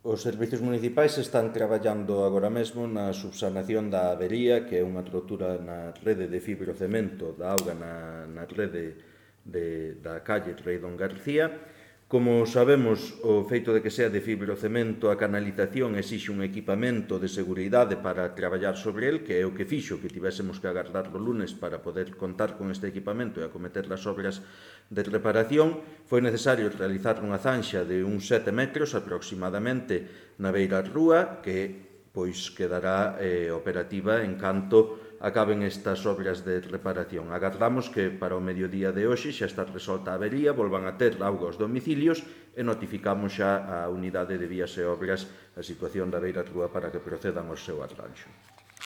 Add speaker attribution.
Speaker 1: Os servicios municipais están traballando agora mesmo na subsanación da avería, que é unha rotura na rede de fibrocemento da auga na rede da calle Rei Don García. Como sabemos, o feito de que sea de fibrocemento, a canalización exixe un equipamento de seguridade para traballar sobre el, que é o que fixo que tivésemos que agardar o lunes para poder contar con este equipamento e acometer as obras de reparación. Foi necesario realizar unha zanxa de uns 7 metros aproximadamente na beira rúa, que pois quedará operativa en canto acaben estas obras de reparación. Agardamos que para o mediodía de hoxe xa está resolta a avería, volvan a ter auga aos domicilios e notificamos xa a unidade de vías e obras a situación da beira rúa para que procedan ao seu arranxo.